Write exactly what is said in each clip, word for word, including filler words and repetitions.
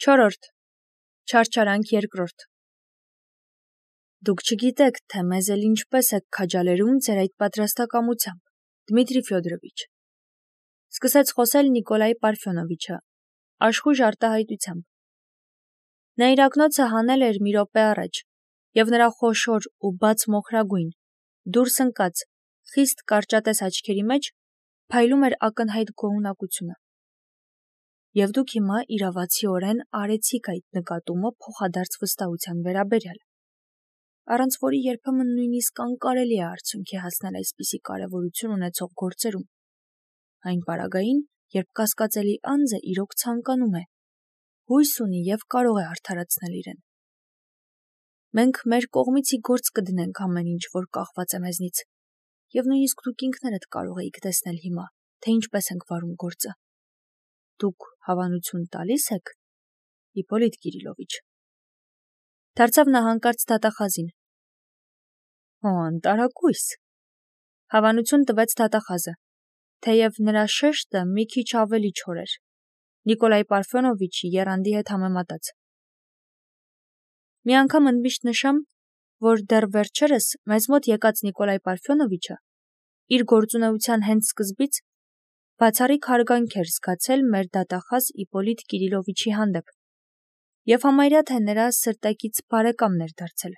Չորրորդ. Չարչարանք երկրորդ. Դուք չգիտեք, թե մեզ էլ ինչպես եք քաջալերում ձեր այդ պատրաստակամությամբ, Դմիտրի Ֆյոդորովիչ, սկսեց խոսել Նիկոլայ Պարֆյոնովիչը, աշխույժ արտահայտությամբ. Նա իր ակնոցը հանել էր մի րոպե առաջ, և նրա խոշոր ու բաց մոխրագույն, դուրս ընկած, խիստ կարճատես աչքերի մեջ փայլում էր ակնհայտ գոհունակությունը. և դուք հիմա իրավացիորեն արեցիք այդ նկատումը փոխադարձ վստահության վերաբերյալ, առանց որի երբեմն նույնիսկ անկարելի է արդյունքի հասնել այսպիսի կարևորություն ունեցող գործերում, այն պարագային, երբ կասկածելի անձը իրոք ցանկանում է, հույս ունի և կարող է արդարացնել իրեն։ Մենք մեր կողմիցի գործ կդնենք ամեն ինչ, որ կախված է մեզնից, և նույնիսկ դուք ինքներդ կարող էիք տեսնել հիմա, թե ինչպես ենք վարում գործը։ Դուք հավանություն տալի՞ս եք, Իպոլիտ Կիրիլովիչ։ Դարձավ նա հանկարծ դատախազին։ Հո, անտարակույս, հավանություն տվեց դատախազը, թեև նրա շեշտը մի քիչ ավելի չոր էր, Նիկոլայ Պարֆյոնովիչի եռանդի հետ համեմատած։ Մի անգամ ընդմիշտ նշեմ, որ դեռ վերջերս մեզ մոտ եկած Նիկոլայ Պարֆյոնովիչը իր գործունեության հենց սկզբից բացառիկ հարգանք էր զգացել մեր դատախազ Իպոլիտ Կիրիլովիչի հանդեպ և համարյա թե նրա սրտակից բարեկամն էր դարձել։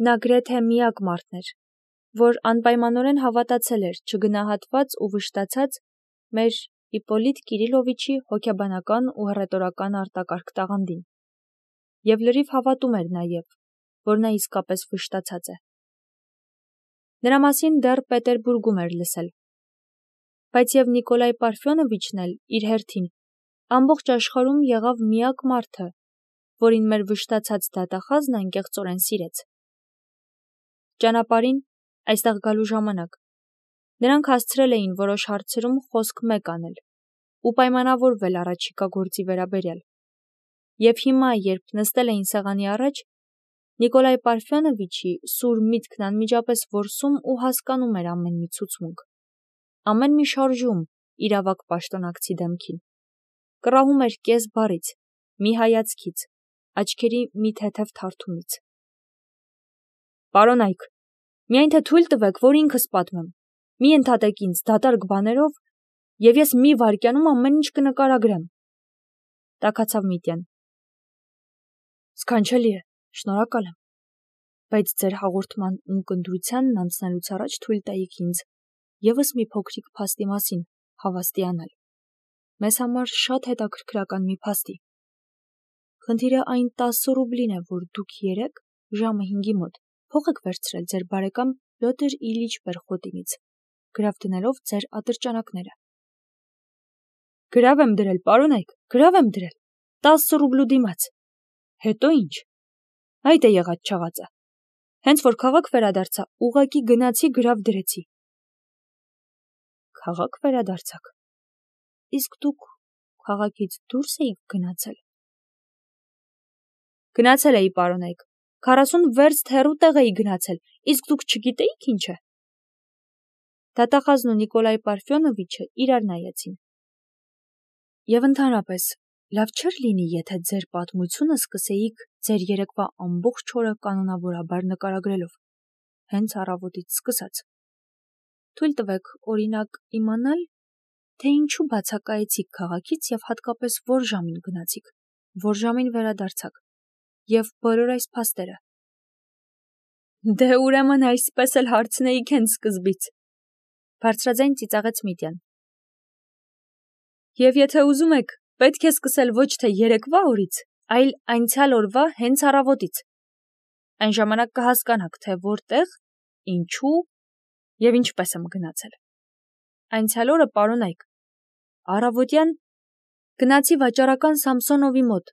Նա գրեթե միակ մարդն էր, որ անպայմանորեն հավատացել էր չգնահատված ու վշտացած մեր Իպոլիտ Կիրիլովիչի հոգեբանական ու հռետորական արտակարգ տաղանդին, և լրիվ հավատում էր նաև, որ նա իսկապես վշտացած է։ Նրա մասին դեռ Պետերբուրգում էր լսել, բայց և Նիկոլայ Պարֆյոնովիչն էլ իր հերթին ամբողջ աշխարհում եղավ միակ մարդը, որին մեր վշտացած դատախազն անկեղծորեն սիրեց։ Ճանապարհին, այստեղ գալու ժամանակ, նրանք հասցրել էին որոշ հարցերում խոսք մեկ անել ու պայմանավորվել առաջիկա գործի վերաբերյալ, և հիմա, երբ նստել էին սեղանի առաջ, Նիկոլայ Պարֆյոնովիչի սուր միտքն անմիջապես որսում ու հասկանում էր ամեն մի ցուցմունք, ամեն մի շարժում իր ավագ պաշտոնակցի դեմքին, կռահում էր կես բառից, մի հայացքից, աչքերի մի թեթև թարթումից։ Պարոնայք, միայն թե թույլ տվեք, որ ինքս պատմեմ, մի ընդհատեք ինձ դատարկ բաներով, և ես մի վայրկյանում ամեն ինչ կնկարագրեմ, տաքացավ Միտյան։ Սքանչելի է, շնորհակալ եմ, բայց ձեր հաղորդման ունկնդրությանն անցնելուց առաջ թույլ տայիք ինձ ևս մի փոքրիկ փաստի մասին հավաստիանալ։ Մեզ համար շատ հետաքրքրական մի փաստի։ Խնդիրը այն տասը ռուբլին է, որ դուք երեկ ժամը հինգի մոտ փող եք վերցրել ձեր բարեկամ Պյոտր Իլիչ Պերխոտինից, գրավ դնելով ձեր ատրճանակները։ Գրավ եմ դրել, պարոնայք, գրավ եմ դրել, տասը ռուբլու դիմաց։ Հետո ինչ։ Այդ է եղած չաղածը։ Հենց որ քաղաք վերադարձա, ուղղակի գնացի գրավ դրեցի։ Քաղաք վերադարձաք։ Իսկ դուք քաղաքից դուրս էիք գնացել։ Գնացել էի, պարոնայք, քառասուն վերստ հեռու տեղ էի գնացել, իսկ դուք չգիտեիք ինչ է։ Դատախազն ու Նիկոլայ Պարֆյոնովիչը իրար նայեցին։ Եվ ընդհանրապես, լավ չէր լինի, եթե ձեր պատմությունը սկսեիք ձեր երեկվա ամբողջ օրը կանոնավորաբար նկարագրելով, հենց առավոտից սկսած։ Թույլ տվեք, օրինակ, իմանալ, թե ինչու բացակայեցիք քաղաքից և հատկապես որ ժամին գնացիք, որ ժամին վերադարձաք, և բոլոր այս փաստերը։ Դե ուրեմն այսպես էլ հարցնեիք հենց սկզբից, բարձրաձայն ծիծաղեց Միտյան։ Եվ եթե ուզում եք, պետք է սկսել ոչ թե երեկվա օրից, այլ անցյալ օրվա հենց առավոտից։ Այն ժամանակ կհասկանաք, թե որտեղ, ինչու և ինչպես եմ գնացել։ Անցյալ օրը, պարոնայք, առավոտյան գնացի վաճառական Սամսոնովի մոտ,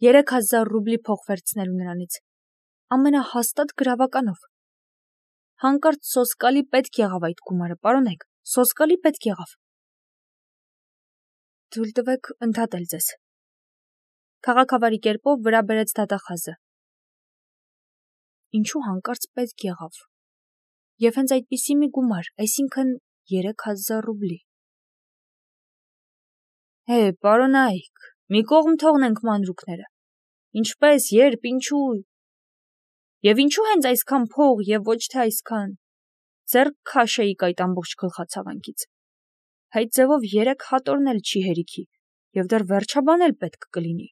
երեք հազար ռուբլի փող վերցնելու նրանից, ամենահաստատ գրավականով։ Հանկարծ սոսկալի պետք եղավ այդ գումարը, պարոնայք, սոսկալի պետք եղավ։ Թույլ տվեք ընդհատել ձեզ։ Քաղաքավարի կերպով վրա բերեց դատախազը։ Ինչու հանկարծ պետք եղավ։ Եվ հենց այդպիսի մի գումար, այսինքն երեք հազար ռուբլի։ Հե, պարոնայք, մի կողմ թողնենք մանրուքները։ Ինչպես, երբ, ինչու։ Եվ ինչու հենց այսքան փող եւ ոչ թե այսքան։ Ձեռք քաշեիք այդ ամբողջ գլխացավանքից։ Այդ ձևով երեք հատորն էլ չի հերիքի, եւ դեռ վերջաբան էլ պետք կլինի։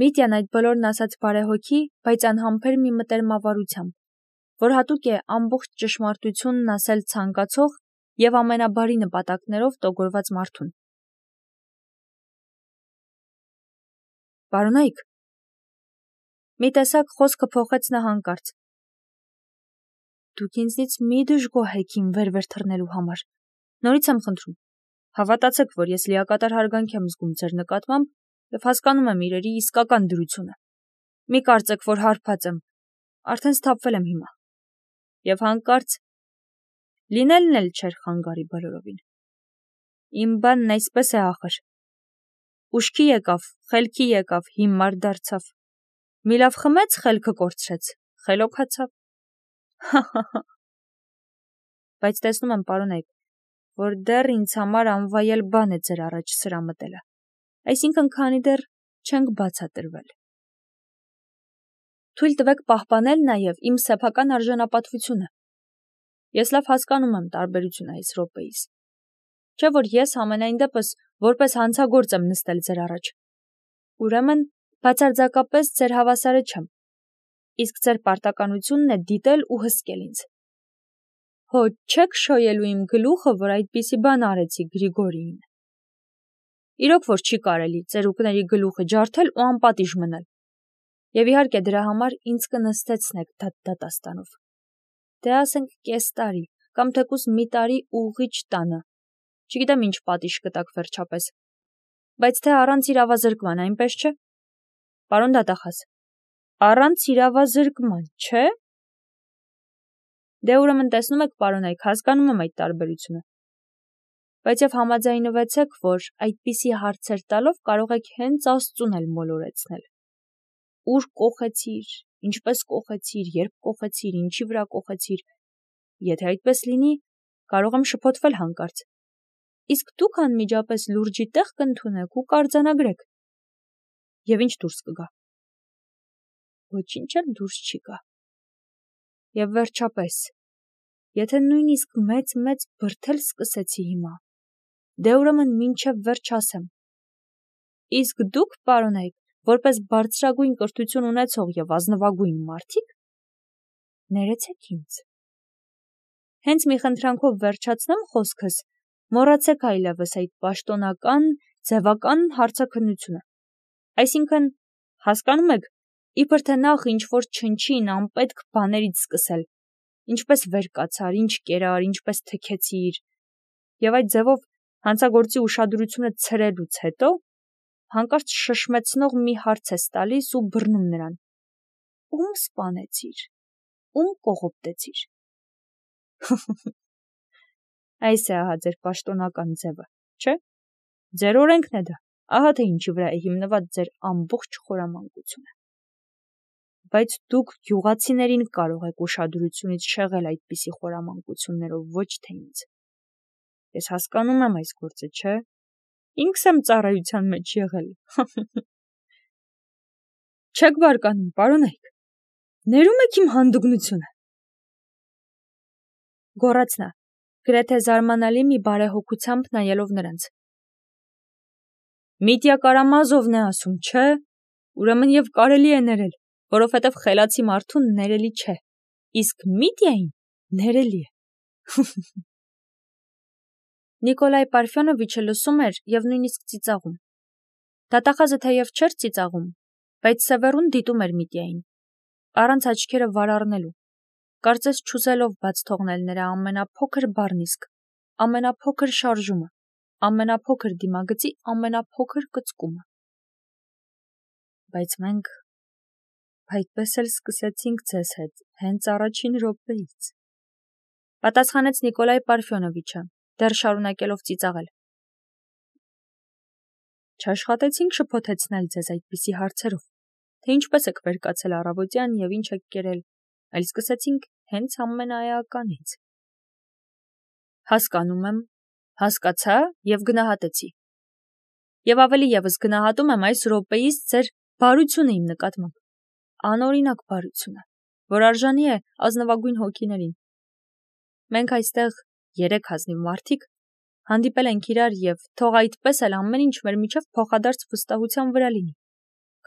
Միտյան այդ բոլորն ասաց բարեհոգի, բայց անհամբեր մի մտերմավարությամբ, որ հատուկ է ամբողջ ճշմարտությունն ասել ցանկացող եւ ամենաբարի նպատակներով տոգորված մարդուն։ Պարոնայք, մի տեսակ խոսքը փոխեց նա հանկարծ։ Դուք ինձնից մի դժգոհեք իմ վեր-վեր թռնելու համար։ Նորից եմ խնդրում։ Հավատացեք, որ ես լիակատար հարգանք եմ զգում ձեր նկատմամբ եւ հասկանում եմ իրերի իսկական դրությունը։ Մի կարծեք, որ հարբած եմ, արդեն սթափվել եմ հիմա։ Եվ հանկարծ լինելն էլ չէր խանգարի բոլորովին։ Իմ բանն այսպես է ախր։ Ուշքի եկավ, խելքի եկավ, հիմար դարձավ։ Մի լավ խմեց, խելքը կորցրեց, խելոքացավ։ Բայց տեսնում եմ, պարոնայք, որ դեռ ինձ համար անվայել բան է ձեր առաջ սրա մտելը, այսինքն քանի դեռ չենք բացատրվել։ Թույլ տվեք պահպանել նաև իմ սեփական արժանապատվությունը։ Ես լավ հասկանում եմ տարբերությունը այս րոպեիս։ Չէ՞ որ ես ամենայն դեպս որպես հանցագործ եմ նստել ձեր առաջ։ Ուրեմն բացարձակապես ձեր հավասարը չեմ, իսկ ձեր պարտականությունն է դիտել ու հսկել ինձ։ Հո չեք շոյելու իմ գլուխը, որ այդպիսի բան արեցի Գրիգորիին։ Իրոք որ չի կարելի ծերուկների գլուխը ջարդել ու անպատիժ մնալ։ Եվ իհարկե դրա համար ինձ կնստեցնեք դատաստանով։ Դե ասենք կես տարի, կամ թեկուզ մի տարի ուղիչ տանը։ Չգիտեմ ինչ պատիժ կտակ վերջապես։ Բայց թե առանց իրավազրկման, այնպես չէ։ Պարոն դատախազ, առանց իրավազրկման, չէ։ Դե ուրեմն տեսնում եք, պարոնայք, հասկանում եմ այդ տարբերությունը։ Բայց եւ համաձայնվեցեք, որ այդպիսի հարցեր տալով կարող եք հենց Աստծուն էլ մոլորեցնել։ Ուր կոխեցիր, ինչպես կոխեցիր, երբ կոխեցիր, ինչի վրա կոխեցիր։ Եթե այդպես լինի, կարող եմ շփոթվել հանկարծ։ Իսկ դուք անմիջապես լուրջի տեղ կընդունեք ու կարձանագրեք։ Եվ ինչ դուրս կգա։ Ոչինչ էլ դուրս չի գա։ Եվ վերջապես, եթե նույնիսկ մեծ-մեծ բրդել սկսեցի հիմա, դե ուրեմն մինչև վերջ ասեմ։ Իսկ դուք, պարոնայք, որպես բարձրագույն կրթություն ունեցող եւ ազնվագույն մարդիկ, ներեցեք ինձ։ Հենց մի խնդրանքով վերջացնեմ խոսքս, մոռացեք այլևս այդ պաշտոնական, ձևական հարցաքննությունը։ Այսինքն, հասկանում եք, իբր թե նախ ինչ-որ չնչին անպետք բաներից սկսել, ինչպես վեր կացար, ինչ կերար, ինչպես թքեցիր, եւ այդ ձևով հանցագործի ուշադրությունը ցրելուց հետո հանկարծ շշմեցնող մի հարց ես տալիս ու բռնում նրան. ում սպանեցիր, ում կողոպտեցիր։ Այս է ահա ձեր պաշտոնական ձևը, չէ՞։ Ձեր օրենքն է դա, ահա թե ինչի վրա է հիմնված ձեր ամբողջ խորամանկությունը։ Բայց դուք գյուղացիներին կարող եք ուշադրությունից շեղել այդպիսի խորամանկություններով, ոչ թե ինձ։ Ես հասկանում եմ այս գործը, չէ՞։ Ինքս եմ ծառայության մեջ եղել։ Չեք բարկանում, պարոնայք։ Ներում եք իմ հանդուգնությունը։ Գոռաց նա, գրեթե զարմանալի մի բարեհոգությամբ նայելով նրանց։ Միտյա Կարամազովն է ասում, չէ՞։ Ուրեմն եւ կարելի է ներել, որովհետեւ խելացի մարդուն ներելի չէ, իսկ Միտյային ներելի է։ Նիկոլայ Պարֆյոնովիչը լսում էր եւ նույնիսկ ծիծաղում։ Դատախազը թեև չէր ծիծաղում, բայց Սևեռուն դիտում էր Միտյային, առանց աչքերը վարառնելու, կարծես չուզելով բաց թողնել նրա ամենափոքր բառն իսկ, ամենափոքր շարժումը, ամենափոքր դիմագծի ամենափոքր կծկումը։ Բայց մենք այդպես էլ սկսեցինք ձեզ հետ հենց առաջին րոպեից, պատասխանեց Նիկոլայ Պարֆյոնովիչը, դեռ շարունակելով ծիծաղել։ Չաշխատեցինք շփոթեցնել ձեզ այդպիսի հարցերով, թե ինչպես եք վեր կացել առավոտյան եւ ինչ եք կերել, այլ սկսեցինք հենց ամենաէականից։ Հասկանում եմ, Հասկացա եւ գնահատեցի։ Եվ ավելի եւս գնահատում եմ այս րոպեից ձեր բարությունը իմ նկատմամբ, անօրինակ բարությունը, որ արժանի է ազնվագույն հոգիներին։ Մենք այստեղ երեք ազնիվ մարդիկ հանդիպել ենք իրար եւ թող այդպես էլ ամեն ինչ մեր միջև փոխադարձ վստահության վրա լինի,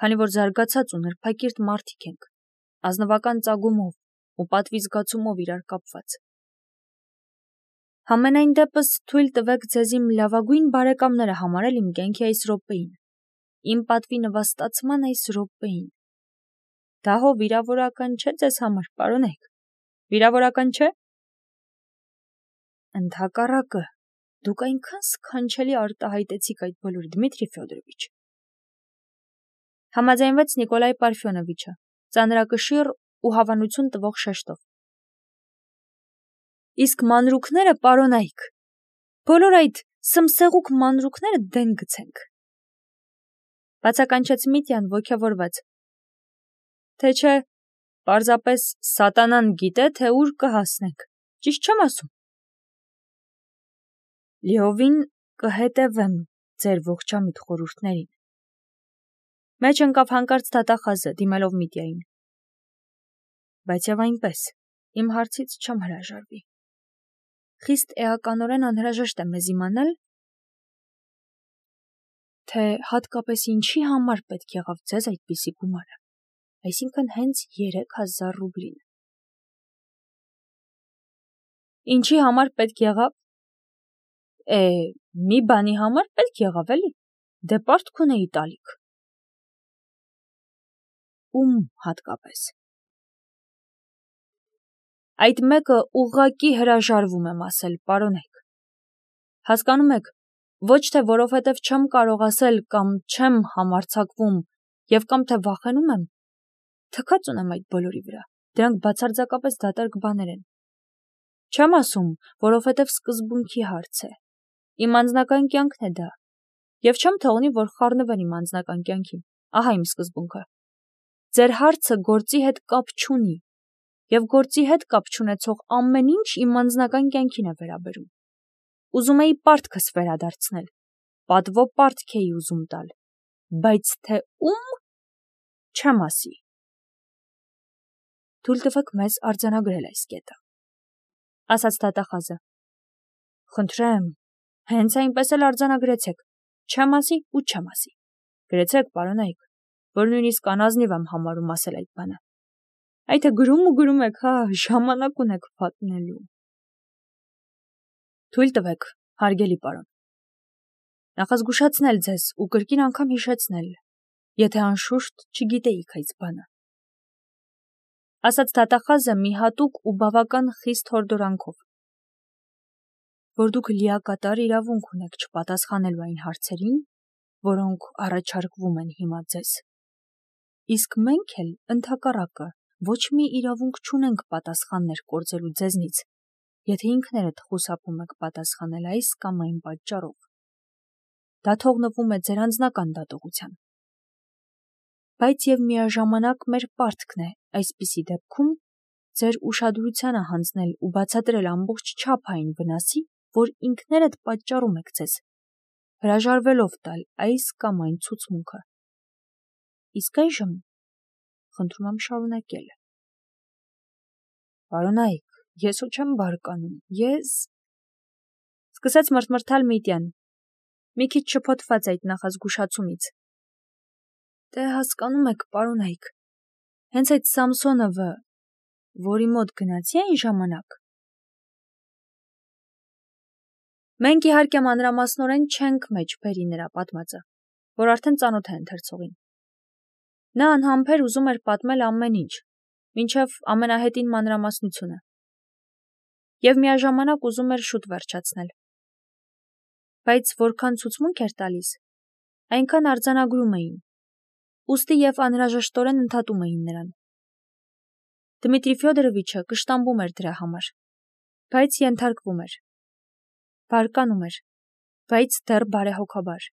քանի որ զարգացած ու նրբակիրթ մարդիկ ենք, ազնվական ծագումով ու պատվի զգացումով իրար կապված։ Համենայն դեպս թույլ տվեք ձեզ իմ լավագույն բարեկամները համարել իմ կյանքի այս րոպեին, իմ պատվի նվաստացման այս րոպեին։ Դա հո վիրավորական չէ ձեզ համար, պարոնայք, վիրավորական չէ։ Ընդհակառակը, դուք այնքան սքանչելի արտահայտեցիք այդ բոլորը, Դմիտրի Ֆյոդորովիչ։ Համաձայնվեց Նիկոլայ Պարֆյոնովիչը, ծանրակշիռ ու հավանություն տվող շեշտով։ Իսկ մանրուքները, պարոնայք, բոլոր այդ սմսեղուկ մանրուքները դեն գցենք։ Բացականչեց Միտյան ոգևորված։ Թե չէ, պարզապես սատանան գիտե, թե ուր կհասնենք, ճիշտ չեմ ասում։ Լիովին կհետևեմ ձեր ողջամիտ խորհուրդներին։ Մեջ ընկավ հանկարծ դատախազը, դիմելով Միտյային։ Բայց եւ այնպես, իմ հարցից չեմ հրաժարվի։ Խիստ էականորեն անհրաժեշտ է մեզ իմանալ, թե հատկապես ինչի համար պետք եղավ ձեզ այդպիսի գումարը, այսինքն հենց երեք հազար ռուբլին։ Ինչի համար պետք եղավ։ Է, մի բանի համար պետք եղավ, էլի, դե պարտք ունեի տալիք։ Ում հատկապես։ Այդ մեկը ուղղակի հրաժարվում եմ ասել, պարոնեք։ Հասկանում եք, ոչ թե որովհետև չեմ կարող ասել կամ չեմ համարձակվում եւ կամ թե վախենում եմ, թքած ունեմ այդ բոլորի վրա, դրանք բացարձակապես դատարկ բաներ են։ Չեմ ասում, որովհետև սկզբունքի հարց է, իմ անձնական կյանքն է դա, եւ չեմ թողնի, որ խառնվեն իմ անձնական կյանքին, ահա իմ սկզբունքը։ Ձեր հարցը գործի հետ կապ չունի, եւ գործի հետ կապ չունեցող ամեն ինչ իմ անձնական կյանքին է վերաբերում։ Ուզում էի պարտքս վերադարձնել, պատվո պարտք էի ուզում տալ, բայց թե ում, չեմ ասի։ Թույլ տվեք մեզ արձանագրել այս կետը, ասաց դատախազը։ Խնդրեմ, հենց այնպես էլ արձանագրեցեք, չեմ ասի ու չեմ ասի։ Գրեցեք, պարոնայք, որ նույնիսկ անազնիվ եմ համարում ասել այդ բանը։ Այդ է գրում ու գրում եք, հա, ժամանակ ունեք պատմելու։ Թույլ տվեք, հարգելի պարոն։ Նախազգուշացնել ձեզ ու կրկին անգամ հիշեցնել, եթե անշուշտ չգիտեիք այս բանը։ Ասաց դատախազը մի հատուկ ու բավական խիստ հորդորանքով, որ դուք լիակատար իրավունք ունեք չպատասխանելու այն հարցերին, որոնք առաջարկվում են հիմա ձեզ։ Իսկ մենք էլ ընդհակառակը ոչ մի իրավունք չունենք պատասխաններ կորցելու ձեզնից, եթե ինքներդ խուսափում եք պատասխանել այս կամ այն պատճառով։ Դա թողնվում է ձեր անձնական դատողության։ Բայց եւ միաժամանակ մեր պարտքն է այսպիսի դեպքում ձեր ուշադրությանը հանձնել ու բացատրել ամբողջ չափային վնասի, որ ինքներդ պատճառում եք ձեզ, հրաժարվելով տալ այս կամ այն ցուցմունքը։ Իսկ այժմ խնդրում եմ շարունակել։ Պարոնայք, ես ու չեմ բարկանում, ես… Սկսեց մրթմրթալ Միտյան, մի քիչ շփոթված այդ նախազգուշացումից։ Դե հասկանում եք, պարոնայք, հենց այդ Սամսոնովը, որի մոտ գնացի այն ժամանակ։ Մենք իհարկե մանրամասնորեն չենք մեջ բերի նրա պատմածը, որ արդեն ծանոթ է ընթերցողին։ Նա անհամբեր ուզում էր պատմել ամեն ինչ, մինչև ամենահետին մանրամասնությունը։ Եվ միաժամանակ ուզում էր շուտ վերջացնել։ Բայց որքան ցուցմունք էր տալիս, այնքան արձանագրում էին, ուստի եւ անհրաժեշտորեն ընդհատում էին նրան։ Դմիտրի Ֆյոդորովիչը կշտամբում էր դրա համար, բայց ենթարկվում էր, բարկանում էր, բայց դեռ բարեհոգաբար։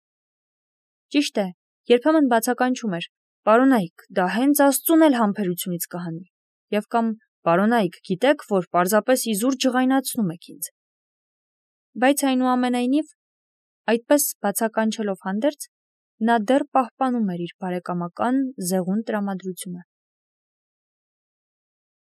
Ճիշտ է, երբեմն բացականչում էր. Պարոնայք, դա հենց Աստծուն էլ համբերությունից կհանի, եւ կամ պարոնայք, գիտեք, որ պարզապես իզուր ջղայնացնում եք ինձ։ Բայց այնուամենայնիվ, այդպես բացականչելով հանդերձ, նա դեռ պահպանում էր իր բարեկամական զեղուն տրամադրությունը: